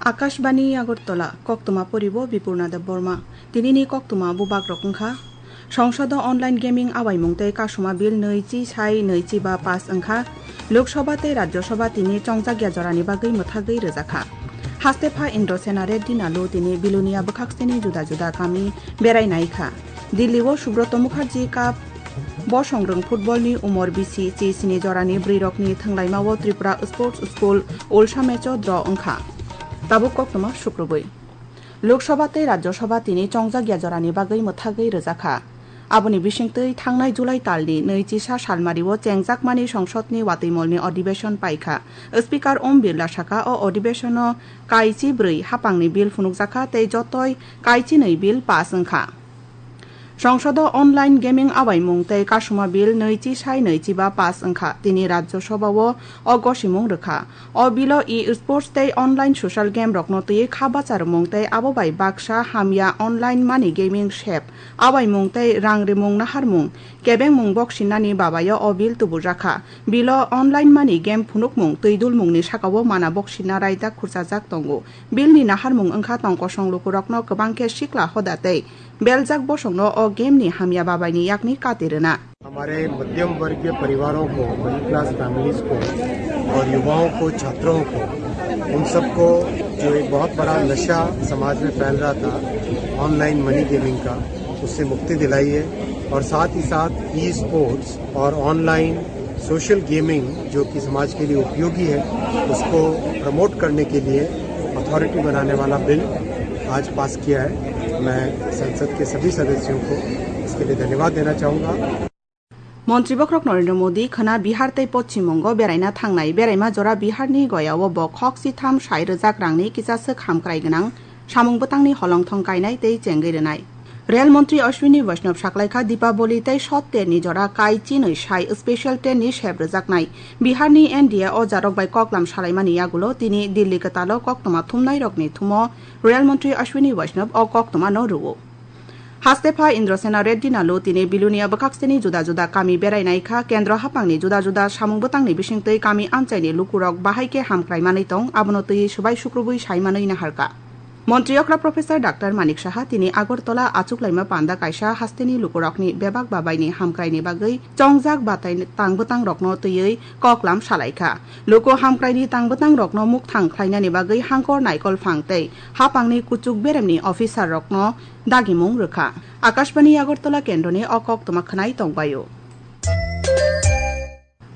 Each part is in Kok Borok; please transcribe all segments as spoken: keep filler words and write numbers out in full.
Akashbani Agartala, koktwma poribo Bipurna Debbarma. Tinini koktwma bubagrok wngkha: Songsodo online gaming awaimung tei kasuma bill nui chi sai nui chi ba pass wngkha. Lok Sabha tei Rajya Sabha tini chongjakya jorani bagwi mwthagwi rwjakha. Haste pha Indrasena Reddy Nalu tini Bilonia bwkhakseni juda juda kami berai naikha. Delhi o Subroto Mukherjee Cup bosongrwng football ni umor bisi chi sini jorani bwrwi rokni thwnglaima o Tripura Sports School ulsa match o draw wngkha. Tabuk koktwma sukrubwi. Lok Sabha tei Rajya Sabha tini chongjakya jorani bagwi mwthagwi rwjakha. Aboni bisingtwi thangnai July talni nui chisa salmari o chengjakmani songsodni watwimolni adhibeshon paikha. Speaker Om Birla saka o adhibeshono kaichi bwrwi hapangni bill phunukjakha tei jotoi kaichi nui bill pass wngkha. Songsodo online gaming awaimung tei kasuma bill nui chi sai nui chi ba pass wngkha. Tini Rajya Sabha o o gosimung rwkha. O bilo e-sports tei online social game rokno twiwi kha bacharmung tei abo bai baksa hamya online money gaming sep awaimung tei rang rimung naharmung kebengmung boksinnani babayo o bill tubujakha. Bilo online money game phunukmung twi dulmungni sakao mana boksinna raida khurchajak tongo. Bill ni naharmung wngkha tongkosong lukurokno kwbang khe sikla hoda tei beljak bosongno o game ni hamya babaini yakni kati rwna. हमारे मध्यम वर्गीय परिवारों को, middle class families को और युवाओं को, छात्रों को, उन सबको जो एक बहुत बड़ा नशा समाज में फैल रहा था ऑनलाइन मनी गेमिंग का, उससे मुक्ति दिलाई है। और साथ ही साथ ई स्पोर्ट्स और ऑनलाइन सोशल गेमिंग जो कि समाज के लिए उपयोगी है, उसको प्रमोट करने के लिए अथॉरिटी बनाने वाला बिल आज पास किया है। मैं संसद के सभी सदस्यों को इसके लिए धन्यवाद देना चाहूँगा। Montri bokhorok Narendra Modi khwna Bihar tei Poschim Bongo beraina thangnai. Beraima jora Bihar ni Goya o bo khok sitham sai rwjak rangni kisaswk hamkrai gwnang samung bwtangni holongthong kainai tei chengwi rwnai. Rail Montri Ashwini Vaishnav saklaikha Dipaboli tei Sot Ter ni jora kai chinwi sai special train ni sep rwjaknai. Bihar ni N D A o jarok bai koklam salaimani yagulo tini Delhi kwtalo koktwma thumnai rokni thumo Rail Montri Ashwini Vaishnav o koktwma no rwo. Haste pha Indrasena Reddy Nalu tini Bilonia bwkhakseni juda juda kami berai naikha, kendro haphangni juda juda samung bwtangni bisingtwi kami amchaini lukurok bahai khe hamkrai manwi tong, abono twi swbai sukrubwi sai manwi naharkha. Montri okra Professor Doctor Manik Saha tini Agartala achuklaima panda kaisa hasteni lukurokni bebak babaini hamkraini bagwi chongjak batai tang bwtangrokno twiwi koklam salaikha. Luku hamkraini tang bwtangrokno mukthang khlainani bagwi hangkor naikol phang tei haphangni kuchuk beremni officerrokno dagimung rwkha. Akashbani Agartala kendroni o koktwma khwnai tongbaio.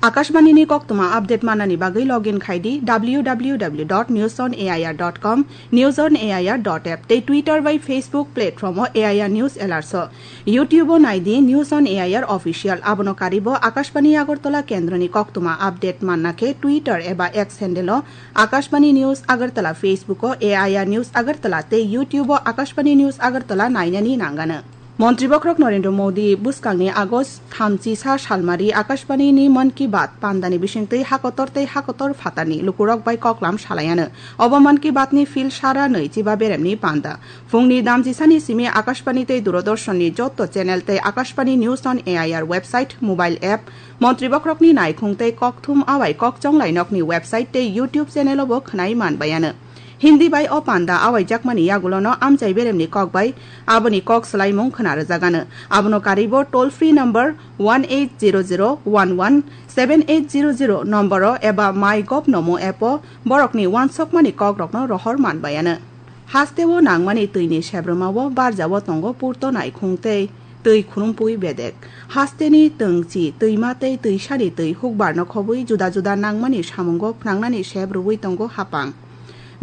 Akashbani ni koktwma update manani bagwi login khai di W W W dot news on A I R dot com, news on A I R dot app tei Twitter bai Facebook platform o A I R News Alerts o. YouTube o nai di News on A I R Official, abono karibo Akashbani Agartala kendroni koktwma update manna khe Twitter eba X handle o Akashbani News Agartala, Facebook o A I R News Agartala tei YouTube o Akashbani News Agartala nainani nangano. Montri bokhorok Narendra Modi bwskangni August thamchi sa salmari Akashbani ni Mann Ki Baat pandani bisingtwi hakotor tei hakotor phatarni lukurok bai koklam salaiano. Obo Mann Ki Baat ni phil sara nui chiba beremni panda. Phungni damjisani simi Akashbani tei Doordarshan ni jotto channel tei Akashbani News on A I R website, mobile app, Montri bokhorokni naikhung tei kokthum awai kokchonglai nokni website tei YouTube channel o bo khwnai manbaiano. Hindi bai o panda awaijakmani yagulono amchai beremni kok bai aboni kok swlaimung khwna rwjagano. Abono karibo toll free number one eight zero zero one one seven eight zero zero nomboro eba MyGov nomo app o borokni uansukmani kokrokno rohor manbaiano. Hasteo nangmani twini sebrwmao barjao tongo purto naikhung tei twi khurumpui bedek. Hasteni twngchi, twima tei twisani twi hukbarno khobwi juda juda nangmani samungo phnangnani sep rwui tongo haphang.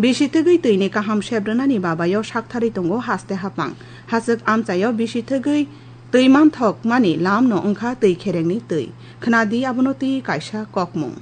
Bisi thwgwi twini kaham sep rwnani babaio saktharwi tongo haste haphang. Hachwk amchaio bisi thwgwi twi manthokmani lamno wngkha twi kherengni twi. Khwnadi abono twi kaisa kokmung.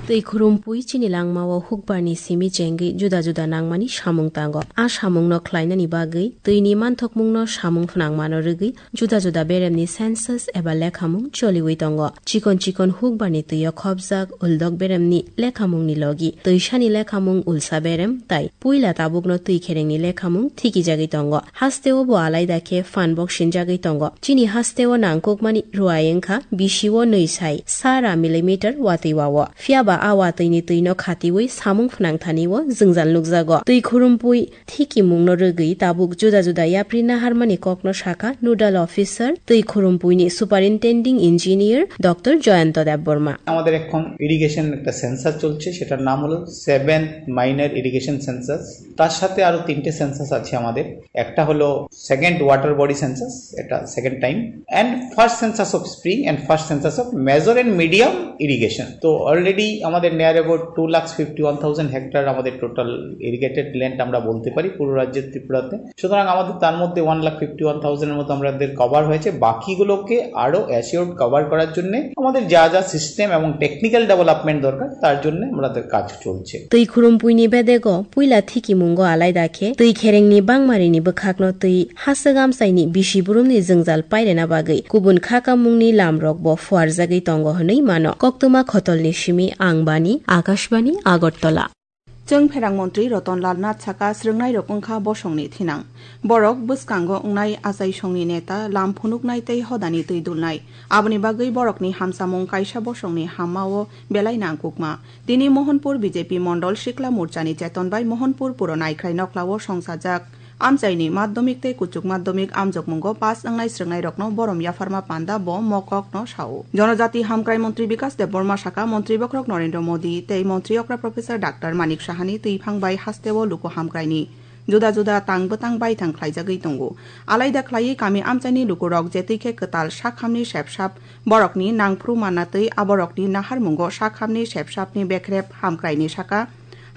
Twi khurumpui chini langmao hukbarni simi chengwi juda juda nangmani samung tango. A samungno khlainani bagwi twini manthokmungno samung phnangmano rwgwi juda juda beremni census eba lekhamung choliwi tongo. Chikon chikon hukbarni twio khopjak uldok beremni lekhamungni logi twisani lekhamung ulsa berem tai puila tabukno twi kherengni lekhamung thikijagwi tongo. Hasteo bo alaida khe phan bok sinjagwi tongo. Chini hasteo nangkukmani ruai wngkha bisio nwi sai sara millimeter watwi wao. Phiyaba A watwini twino khatiwi samung phnangthani-o jwngjal nukjago. Twi khurumpui thikimungno rwgwi tabuk juda juda yapri naharmani kokno sakha nodal officer twi khurumpuini superintending engineer Doctor Jayanta Debbarma. আমাদের এখন ইরিগেশন একটা সেন্সাস চলছে, সেটার নাম হলো seventh minor irrigation census. তার সাথে আরো তিনটে সেন্সাস আছে আমাদের। একটা হলো সেকেন্ড ওয়াটার বডি সেন্সাস, এটা second time, and first census of spring and first census of major and medium irrigation. তো অলরেডি আমাদের near about two lakh fifty one thousand hectare আমাদের টোটাল ইরিগেটেড ল্যান্ড আমরা বলতে পারি পুরো রাজ্যের ত্রিপুরাতে। সুতরাং আমাদের তার মধ্যে ওয়ান লাখ ফিফটি ওয়ান থাউজেন্ডের মতো আমাদের কভার হয়েছে। বাকিগুলোকে আরো অ্যাসিওর্ড কভার করার জন্য আমাদের যা যা সিস্টেম এবং টেকনিক্যাল ডেভেলপমেন্ট দরকার, তার জন্য আমাদের কাজ চলছে। Twi khurumpuini bedego puila thikimungo alaida khe twi kherengni bangmarini bwkhakno twi haswk amchaini bisi burumni jwngjal pairena bagwi kubun khakamungni lamrokbo phuarjagwi tongo hwnwi mano. Koktwma khotolni simi ang Bani, Akashbani, Agartala. Chwng pherang montri Roton Lal Nath saka, swrwngnairok wngkha bosongni thinang. Borok bwskango wngnai achaisongni neta, lam phunuknai tei hodani twi dulnai. Aboni bagwi borokni hamsamung kaisa bosongni hammao belai nangkukma. Tini Mohanpur B J P Mondol Sikla Morchani cheton bai Mohanpur Puro Naikhrai Noklao songsajak amchaini madhyamik tei kuchuk madhyamik amjokmungo pass wngnai swrwngnairokno borom yapharma panda bo mokokno sao. Jonojati hamkrai montri Bikas Debbarma saka, montri bokhorok Narendra Modi tei montri okra Professor Doctor Manik Sahani twiphang bai hasteo luku hamkraini juda juda tang bwtang baithang khlaijagwi tongo. Alaida khlaiwi kami amchaini lukurok jetwi khe kwtal sakhamni sepsap borokni nangphru manna twi aborokni naharmungo sakhamni sepsapni bekrep hamkraini saka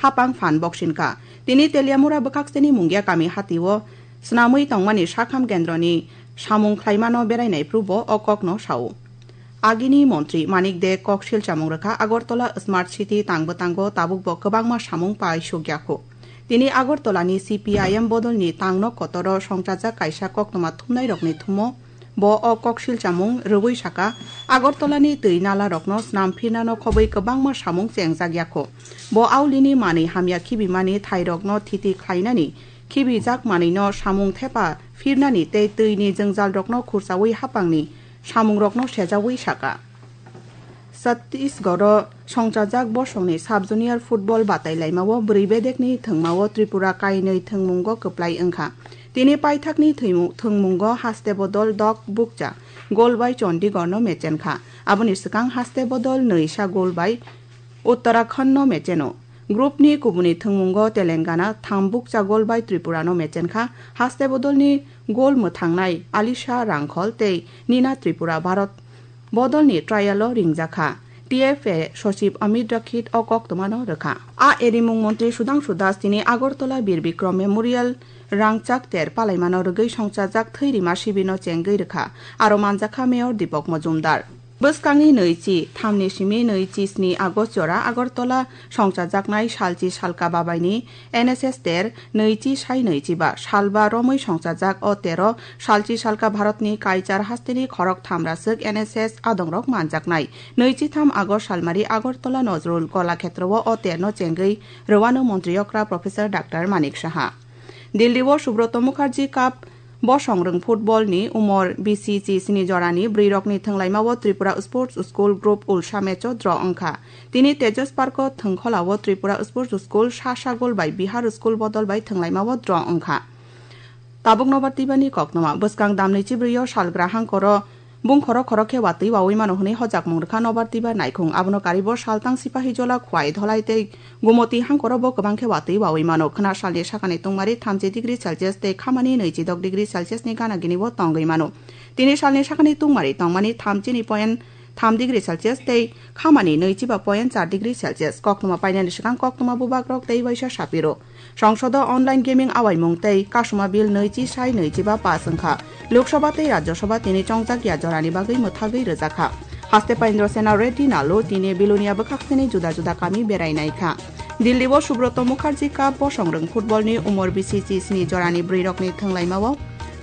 hapang phan boksinka. Tini Teliamura bwkhakseni Mungia kami hatio swnamwi tongmani sakham kendroni samung khlaimano berainai phru bo o kokno sao. Agini montri Manik De kok silchamung rwkha Agartala Smart City tang bwtango tabukbo kwbangma samung pai sukyakho. Tini Agartalani C P I M bodolni tangno kotoro songchajak kaisa koktwma thumnairokni thumo bo o kok silchamung rwui saka, Agartalani twi nalarokno snam phirnano khobwi kwbangma samung chengjak yakho. Bo aulini manwi hamya khibimani thairokno thiti khlainani, khibijak manwino samung thepa phirnani tei twini jwngjalrokno khurchaui hapangni samungrokno sejaui saka. Chhattisgarho songchajak bosongni sub junior football batai laimao bwrwi bedekni thwngmao Tripura kainwi thwngmungo kwplai wngkha. Tini paithakni thwimu-, thwngmungo haste bodol dok bukcha gol bai Chandigarhno mechenkha. Aboni swkang haste bodol nwisa gol bai Uttarakhand no mecheno. Group ni kubuni thwngmungo Telangana tham bukcha gol bai Tripura no mechenkha. Haste bodolni gol mwthangnai Alisha Rangkhol tei Nina Tripura Bharat bodolni trial o ringjakha. T F A sochib Amit Rakhet o koktwmano rwkha. A erimung montri Sudhangshu Das tini Agartala Bir Bikram Memorial rangchak ter palaimano rwgwi songchajak thwi rima sibirno chengwi rwkha. Aro manjakha Mayor Deepak Majumdar. Bwskangni nwichi thamni simi nwichi sni August jora Agartala songchajaknai Salchi Salka Babaini N S S ter nwichi sai nwichi ba salba romwi songchajak o tero Salchi Salka Bharatni Kaichar hasteni khorok thamraswk N S S adongrok manjaknai. Nwichi tham August salmari Agartala Nazrul Kola Khetrowo o terno chengwi rwano montri okra Professor Doctor Manik Saha. Delhi o Subroto Mukherjee Cup bosong rwng football ni umor bisi chi sini jorani bwrwi rokni thwnglaima o Tripura Sports School Group ulsa match o draw wngkha. Tini Tejas Park o thwngkhola o Tripura Sports School sa sa gol bai Bihar School bodol bai thwnglaima o draw wngkha. Tabuk nobar tibani koktwma bwskang damni chibrwi o salgra hangkoro Bung khorok khorok khe watwi wawi mano hwnwi hojakmung rwkha nobar tiba naikhung. Abono karibo saltang Sipahijola, Khwai, Dholai tei Gumoti hangkorobo kwbang khe watwi wawi mano. Khwna salni sakani tungmari thamchi degree Celsius tei khamani nwichi dok degree Celsius ni gana gini bo tongwi mano. Tini salni sakani tungmari tongmani thamchi ni point tham degree Celsius tei khamani nwichi ba point char degree Celsius. Koktwma painani swkang koktwma bubagrok tei waisa sapiro. Songsodo online gaming awaimung tei kasuma bill nwichi sai nwichi ba pass wngkha. Lok Sabha tei Rajya Sabha tini chongjak ya jorani bagwi mwthagwi rwjakha. Haste Paindra Sena Reddy Nallu tini Belonia bwkhakseni juda juda kami berai naikha. Delhi o Subroto Mukherjee Cup bosong rwng football ni umor bisi chi sni jorani bwrwi rokni thwnglaima o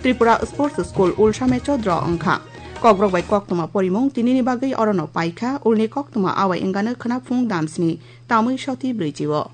Tripura Sports School ulsa match o draw wngkha. Kokborok bai koktwma porimung tinini bagwi orono paikha, ulni koktwma awai wngano khwnaphung damsni tamwi soti brwichi o.